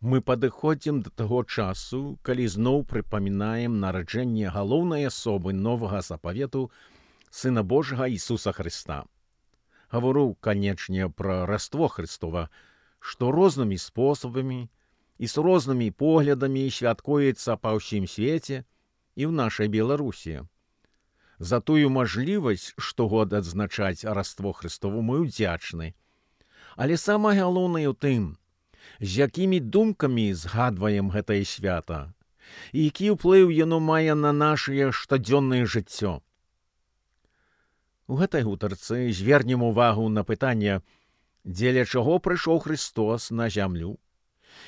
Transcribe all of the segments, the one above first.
Мы падыходзім да таго часу, калі зноў прыпамінаем нараджэнне галоўнай асобы новага запавету Сына Божага Ісуса Хрыста. Гавару, канечне, пра раство Христова, што рознымі спосабамі і з рознымі поглядамі святкуецца па ўсім свеце і ў нашай Беларусі. За тую мажлівасць штогод адзначаць раство Христово мы ўдзячны. Але самае галоўнае ў тым, з якімі думкамі згадваем гэтае свята і які ўплыў яно мае на нашае штодзённае жыццё. У гэтай гутарцы звернем увагу на пытанне, дзеля чаго прыйшоў Христос на зямлю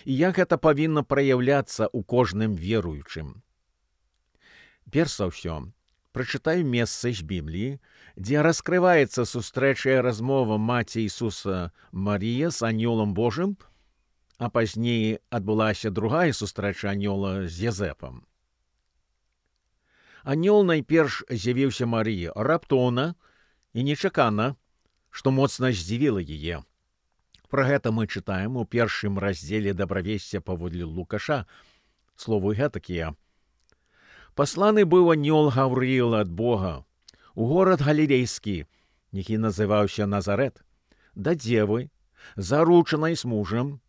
і як гэта павінна праяўляцца ў кожным веруючым. Перш за ўсё, прачытаю месца з Бібліі, дзе раскрываецца сустрэчая размова маці Ісуса Марія з анёлам Божым, а пазней адбылася другая сустрэча анёла з Езэпам. Анёл найперш з'явіўся Марыі раптоўна і нечакана, што моцна здзівіла яе. Пра гэта мы чытаем у першым раздзеле дабравесця паводле Лукаша. Словы гэтакія. Пасланы быў анёл Гаврыіл ад Бога у горад Галілейскі, які называўся Назарэт, да дзевы, заручанай з мужам,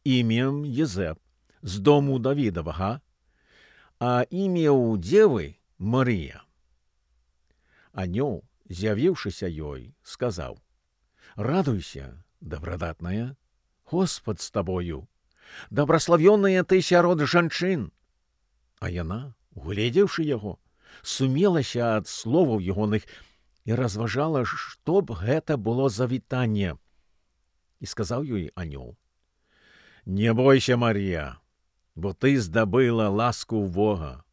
імем Езэп, з дому Давідавага, а імя ў дзевы Марыя. Анёл, з'явіўшыся ёй, сказаў: «Радуйся, дабрадатная, Господ з табою, дабраславёная ты сярод жанчын». А яна, угледзеўшы яго, сумелася ад словаў ягоных і разважала, што б гэта было за вітанне. І сказаў ёй анёл: «Не бойся, Марія, бо ты здабыла ласку ў Бога.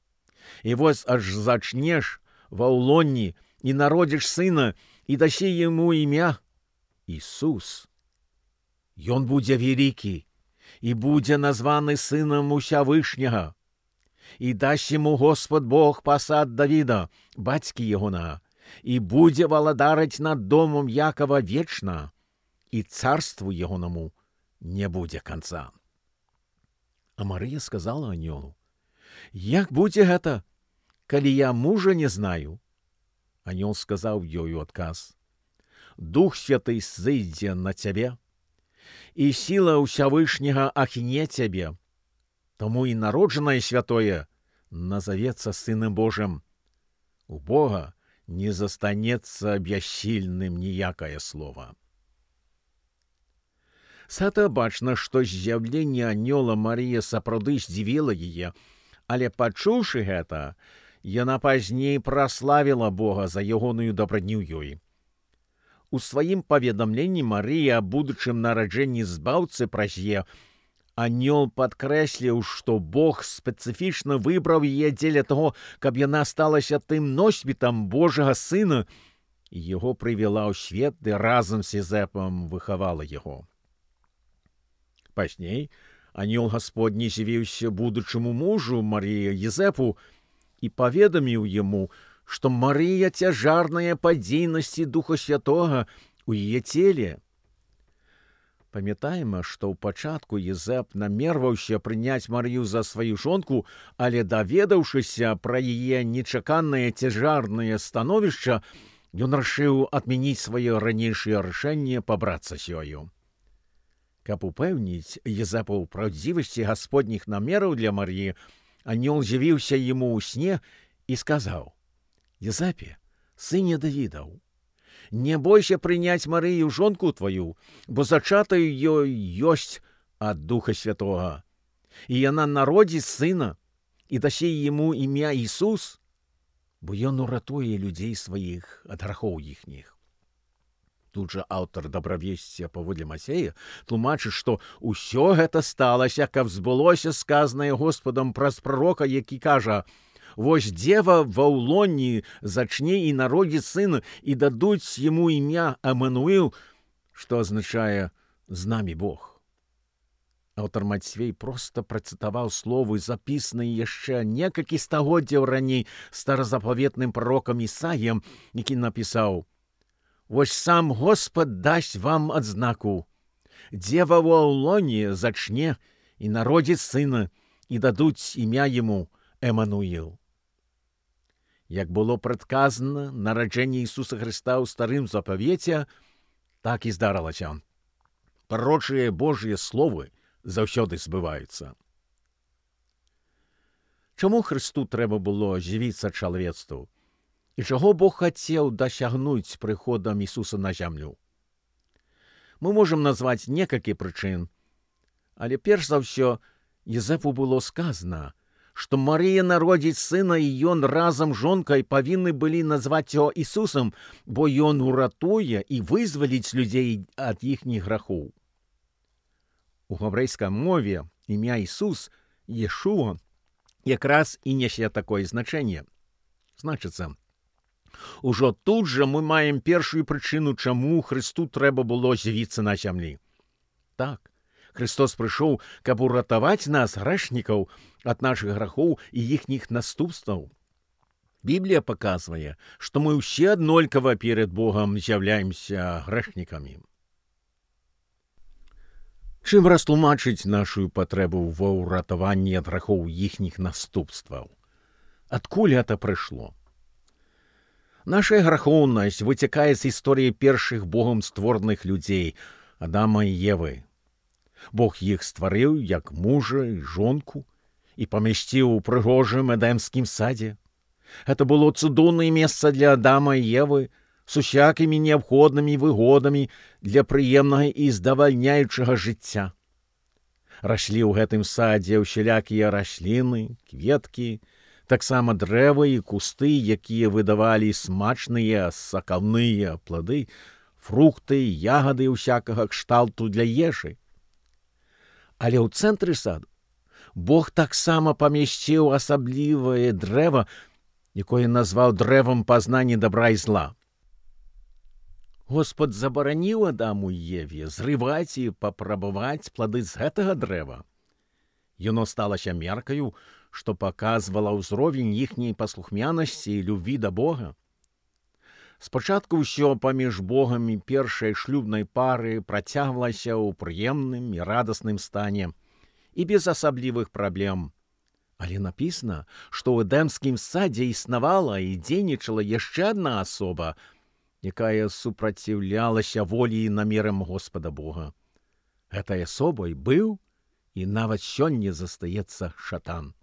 І вось аж зачнеш ва ўлонні і народзіш сына, і дасі яму імя Ісус. Ён будзе вялікі і будзе названы сынам Усявышняга. І дасць яму Господ Бог пасад Давіда, бацькі ягонага, і будзе валадарыць над домом Якова вечна, і царству ягонаму не будзе канца». А Марыя сказала анёлу: «Як будзе гэта, калі я мужа не знаю?» Анёл сказаў ёй у адказ: «Дух Святы зыдзе на цябе, і сіла Усявышняга ахіне цябе, таму і народжанае святое назавецца Сынам Божым. У Бога не застанецца бяссільным ніякае слова». З гэта бачна, што з'яўленне анёла Марія сапраўды здзівіла яе, але, пачуўшы гэта, яна пазней праславіла Бога за ягоную дабрадню ёй. У сваім паведамленні Марыя аб будучым нараджэнні збаўцы праз яе анёл падкрэсліў, што Бог спецыфічна выбраў яе дзеля таго, каб яна сталася тым носьбітам Божага Сына, і яго прывяла ў свет ды разам з Езэпам выхавала яго. Пазней анёл Гасподні з'явіўся будучаму мужу Марыі Езэпу і паведаміў яму, што Марыя цяжарная па дзейнасці Духа Святога ў яе целе. Памятаем, што ў пачатку Езэп намерваўся прыняць Марыю за сваю жонку, але, даведаўшыся пра яе нечаканае цяжарнае становішча, ён рашыў адмяніць сваё ранейшае рашэнне пабрацца з ёю. Каб упэўніць Езэпа ў праўдзівасці гасподніх намераў для Марыі, анёл з'явіўся яму ў сне і сказаў: «Езэпе, сыне Давідаў, не бойся прыняць Марыю жонку тваю, бо зачатаю ёй ёсць ад Духа Святога, і яна народзіць сына, і дасі яму імя Ісус, бо ён уратуе людзей сваіх ад грахоў іхніх». Тут жа аўтар дабравесця паводле Мацея тлумачыць, што ўсё гэта сталася, каб збылося сказанае Господам праз прарока, які кажа: «Вось дзева ва ўлонні зачне і народзіць сына, і дадуць яму імя Эммануіл», што азначае «з намі Бог». Аўтар Мацвей проста працытаваў словы, запісаныя яшчэ некалькі стагоддзяў раней старазапаветным прарокам Ісаіям, які напісаў: «Вось сам Господ дасць вам адзнаку. Дзева ва ўлоне зачне і народзіць сына, і дадуць імя яму Емануїл. Як было прадказана нараджэнне Ісуса Хрыста ў старым запавеце, так і здарылася. Пророчыя Божыя словы заўсёды збываюцца. Чаму Хрысту трэба было з'явіцца чалавецтву? І чаго Бог хацеў дасягнуць прыходам Ісуса на зямлю? Мы можам назваць некалькі прычын, але перш за ўсё Езэпу было сказана, што Марыя народзіць сына, і ён разам з жонкай павінны былі назваць яго Ісусам, бо ён уратуе і вызваліць людзей ад іхніх грахоў. У габрэйскай мове імя Ісус, Ешуа, якраз і нясе такое значэнне. Значыцца, ужо тут жа мы маем першую прычыну, чаму Хрысту трэба было з'явіцца на зямлі. Так, Христос прыйшоў, каб уратаваць нас, грэшнікаў, ад нашых грахоў і іхніх наступстваў. Біблія паказвае, што мы ўсе аднолькава перад Богам з'яўляемся грэшнікамі. Чым растлумачыць нашу патрэбу ва ўратаванні ад грахоў іхніх наступстваў? Адкуль гэта прыйшло? Наша грахоўнасць выцякае з гісторыі першых Богам створаных людзей, Адама і Евы. Бог іх стварыў як мужа і жонку і памясціў у прыгожым эдэмскім садзе. Гэта было цудоўнае месца для Адама і Евы з усякімі неабходнымі выгодамі для прыемнага і здавальняючага жыцця. Раслі ў гэтым садзе ўсялякія расліны, кветкі, таксама дрэвы і кусты, якія выдавалі смачныя сакаўныя плады, фрукты і ягады ўсякага кшталту для ежы. Але ў цэнтры саду Бог таксама памясціў асаблівае дрэва, якое назваў дрэвам пазнання добра і зла. Господ забараніў Адаму і Еве зрываць і папрабаваць плады з гэтага дрэва. Яно сталася меркаю, што паказвала ўзровень іхняй паслухмянасці і любві да Бога. Спачатку ўсё паміж Богам і першай шлюбнай пары працягвалася ў прыемным і радасным стане і без асаблівых праблем. Але напісана, што ў эдэмскім садзе існавала і дзейнічала яшчэ адна асоба, якая супраціўлялася волі і намерам Господа Бога. Гэтай асобай быў і нават сёння застаецца шатан.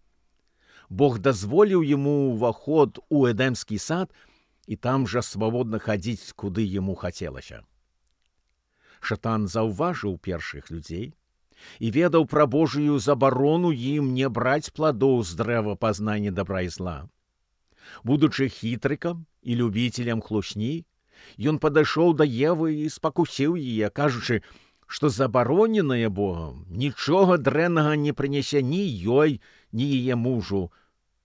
Бог дазволіў яму ўваход у эдэмскі сад і там жа свабодна хадзіць, куды яму хацелася. Шатан заўважыў першых людзей і ведаў пра Божую забарону ім не браць пладоў з дрэва пазнання добра і зла. Будучы хітрыкам і любіцелем хлусні, ён падышоў да Евы і спакусіў яе, кажучы, што забароненае Богам нічога дрэннага не прынясе ні ёй, ні яе мужу,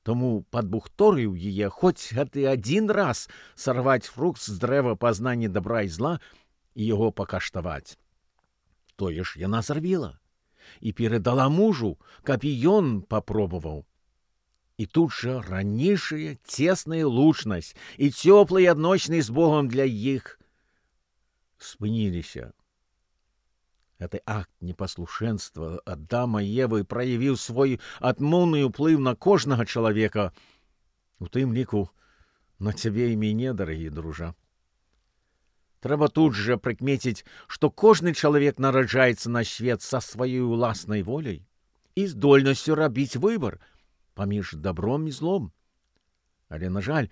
тому падбухторыў яе хоць гэты адзін раз сарваць фрукт з дрэва пазнання добра і зла і яго пакаштаваць. Тое ж яна зрабіла і перадала мужу, каб і ён папробаваў. І тут жа ранейшая цесная лучнасць і цёплыя адносіны з Богом для іх спыніліся. Гэты акт непаслушэнства Адама і Евы праявіў свой адмоўны ўплыў на кожнага чалавека, у тым ліку на цябе і мяне, дарагі дружа. Трэба тут жа прыкмеціць, што кожны чалавек нараджаецца на свет са сваёй уласнай воляй і здольнасцю рабіць выбар паміж добром і злом. Але, на жаль,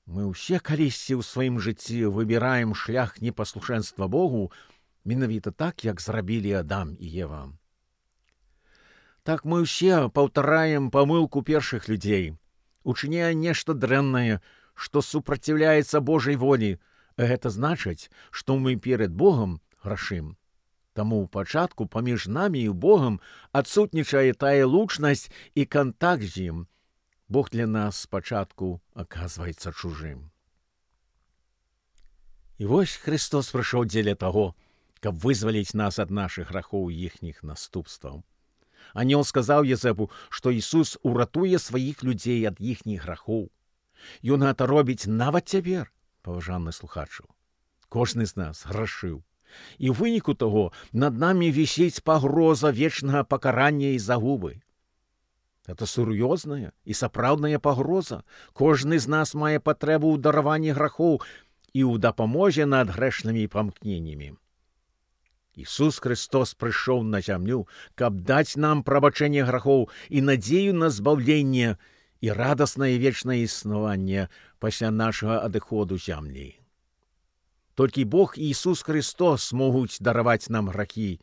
мы ўсе калісьці ў сваім жыцці выбіраем шлях непаслушэнства Богу, менавіта так, як зрабілі Адам і Ева. Так мы ўсе паўтараем памылку першых людзей, учыняе нешта дрэннае, што супраціўляецца Божай волі. Гэта значыць, што мы перад Богам грашым. Таму ў пачатку паміж намі і Богам адсутнічае тая лучнасць і кантакт з ім. Бог для нас спачатку аказваецца чужым. І вось Христос прыйшоў дзеля таго, каб вызваліць нас ад нашых грахоў і іхніх наступстваў. Анёл сказаў Езэпу, што Ісус уратуе сваіх людзей ад іхніх грахоў. Ён гэта робіць нават цяпер, паважаны слухачу. Кожны з нас грашыў І ў выніку таго над намі вісіць пагроза вечнага пакарання і загубы. Гэта сур'ёзная і сапраўдная пагроза. Кожны з нас мае патрэбу ў дараванні грахоў і ў дапамозе над грэшнымі памкненнямі. Ісус Христос прыйшоў на зямлю, каб даць нам прабачэнне грахоў і надзею на збаўленне і радаснае вечнае існаванне пасля нашага адыходу зямлі. Толькі Бог і Ісус Христос могуць дараваць нам грахі,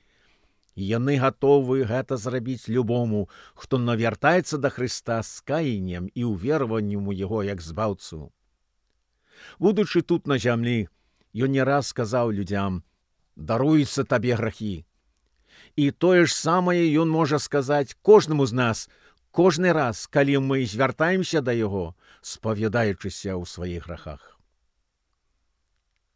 і яны гатовы гэта зрабіць любому, хто навяртаецца да Хрыста з каяннем і ўвераваннем у Яго як збаўцу. Будучы тут на зямлі, Ён не раз сказаў людзям: «Даруюцца табе грахі». І тое ж самае Ён можа сказаць кожнаму з нас кожны раз, калі мы звяртаемся да Яго, спавядаючыся ў сваіх грахах.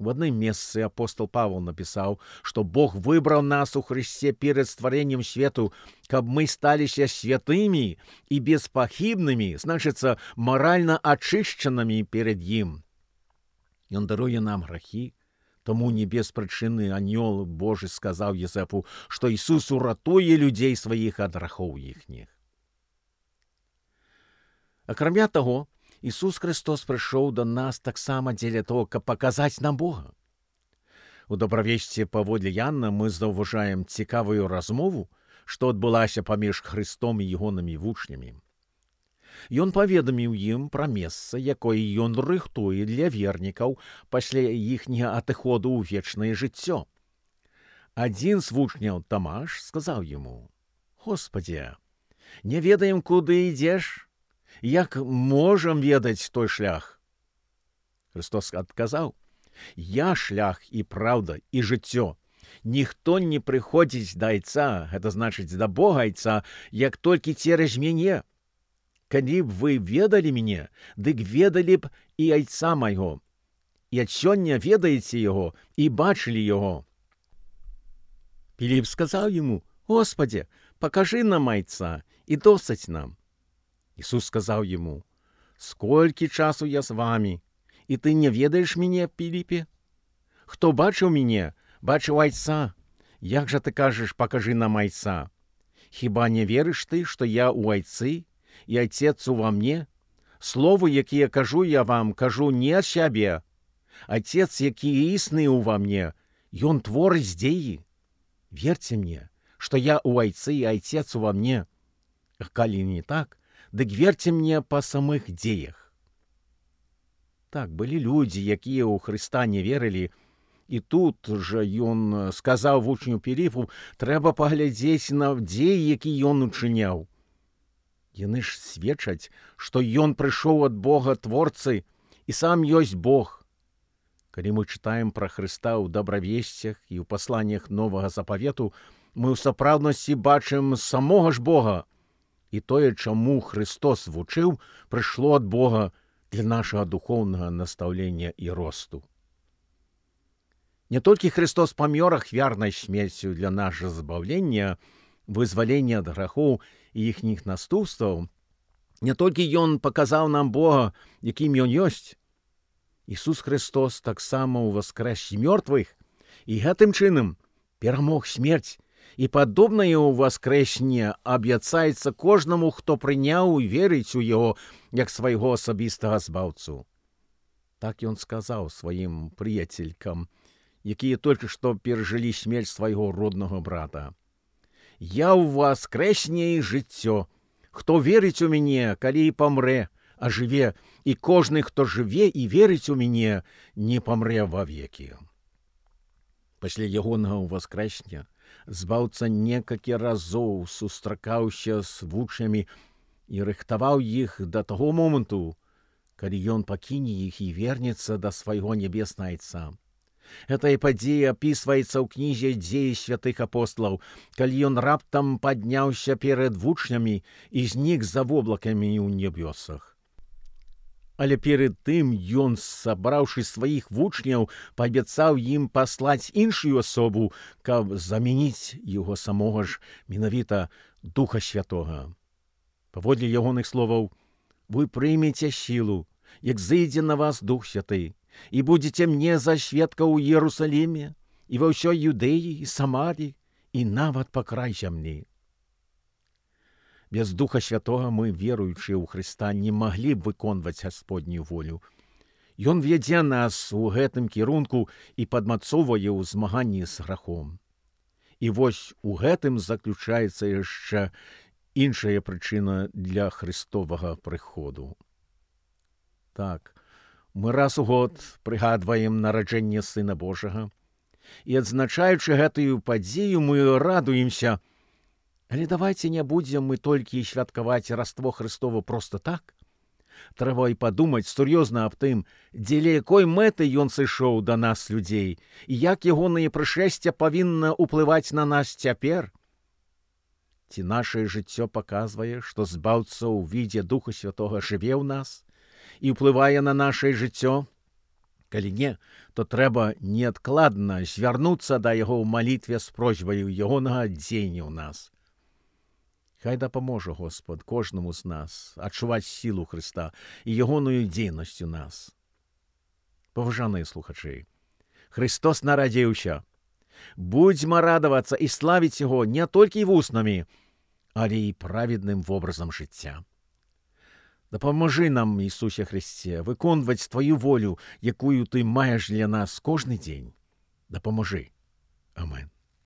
В адным месцы апостол Павел напісаў, што Бог выбраў нас у Христе перад стварэннем свету, каб мы сталіся святымі і беспахібнымі, значыцца, маральна ачышчанымі перад Ім. Ён даруе нам грахі, таму не без прычыны анёл Божы сказаў Езэпу, што Ісус уратуе людзей сваіх ад грахоў іхніх. Акрамя таго, Ісус Христос прыйшоў да нас таксама дзеля того, каб паказаць нам Бога. У добравесці паводле Яна мы заўважаем цікавую размову, што адбылася паміж Христом і ягонымі вучнямі. Ён паведаміў ім пра месца, якое ён рыхтуе для вернікаў пасля іхняга адыходу ў вечнае жыццё. Адзін з вучняў, Тамаш, сказаў яму: «Господзе, не ведаем, куды ідзеш? Як можам ведаць той шлях?» Христос адказаў: «Я шлях і праўда і жыццё. Ніхто не прыходзіць да Айца, гэта значыць да Бога Айца, як толькі цераз мяне. Калі б вы ведалі мяне, дык ведалі б і Айца майго. І ад сёння ведаеце Яго і бачылі Яго». Піліп сказаў яму: «Господзе, пакажы нам Айца, і досыць нам». Ісус сказаў яму: «Сколькі часу я з вамі, і ты не ведаеш мяне, Піліпе? Хто бачыў мяне, бачыў Айца. Як жа ты кажаш, пакажы нам Айца? Хіба не верыш ты, што я ў Айцы, і Айцец ува мне? Словы, якія кажу я вам, кажу не ад сябе. Айцец, які існы ўва мне, Ён творыць дзеі. Верце мне, што я ў Айцы, і Айцец ува мне. А калі не так, дык верце мне па самых дзеях». Так, былі людзі, якія ў Хрыста не верылі, і тут жа ён сказаў вучню Піліпу: «Трэба паглядзець на дзеі, які ён учыняў». Яны ж сведчаць, што ён прыйшоў ад Бога Творцы і сам ёсць Бог. Калі мы чытаем пра Хрыста ў добравесцях і ў пасланнях Новага Запавету, мы ў сапраўднасці бачым самога ж Бога. І тое, чаму Христос вучыў, прыйшло ад Бога для нашага духоўнага настаўлення і росту. Не толькі Христос памёр ахвярнай смерцю для нашага збаўлення, вызвалення ад грахоў і іхніх наступстваў, не толькі Ён паказаў нам Бога, якім Ён ёсць. Ісус Христос таксама ўваскрэс з мёртвых і гэтым чынам перамог смерць, і падобнае ўваскрэсенне абяцаецца кожнаму, хто прыняў і верыць у Яго як свайго асабістага збаўцу. Так Ён сказаў сваім прыяцелькам, якія толькі што перажылі смерць свайго роднага брата: «Я ў воскрэсенне і жыццё. Хто верыць у мяне, калі і памрэ, а жыве, і кожны, хто жыве і верыць у мяне, не памрэ вавекі». Пасля ягонага ўваскрэсення збаўца некалькі разоў сустракаўся з вучнямі і рыхтаваў іх да таго моманту, калі ён пакіне іх і вернецца да свайго нябеснага Айца. Гэтая падзея апісваецца ў кнізе «Дзеі святых апосталаў», калі ён раптам падняўся перад вучнямі і знік за воблакамі ў нябёсах. Але перед тым ён, сабраўшы сваіх вучняў, паабяцаў ім паслаць іншую асобу, каб замяніць яго самога ж, менавіта Духа Святога. Паводле ягоных словаў: «Вы прымеце сілу, як зыдзе на вас Дух Святы, і будзеце мне за сведкаў у Іерусаліме, і ва ўсёй Юдэі, і Самарі, і нават па край зямлі. Без Духа Святога мы, веруючыя ў Хрыста, не маглі б выконваць Гасподнюю волю. Ён вядзе нас у гэтым кірунку і падмацоўвае ў змаганні з грахом. І вось у гэтым заключаецца яшчэ іншая прычына для Христовага прыходу. Так, мы раз у год прыгадваем нараджэнне Сына Божага, і адзначаючы гэтую падзею, мы радуемся. Але давайце не будзем мы толькі святкаваць Раство Христово проста так. Трэба і падумаць сур'ёзна аб тым, дзеля якой мэты ён сышоў да нас, людзей, і як ягонае прышэсце павінна ўплываць на нас цяпер. Ці нашае жыццё паказвае, што Збаўца ў відзе Духа Святога жыве ў нас і ўплывае на нашае жыццё? Калі не, то трэба неадкладна звярнуцца да яго ў малітве з просьбаю ягонага дзеяння ў нас. Хай дапаможа Господ кожнаму з нас адчуваць сілу Хрыста і ягоную дзейнасць у нас. Паважаныя слухачы, Христос нарадзіўся. Будзьма радавацца і славіць яго не толькі вуснамі, але і праведным вобразам жыцця. Дапамажы нам, Ісусе Христе, выконваць Тваю волю, якую Ты маеш для нас кожны дзень. Дапамажы. Амен.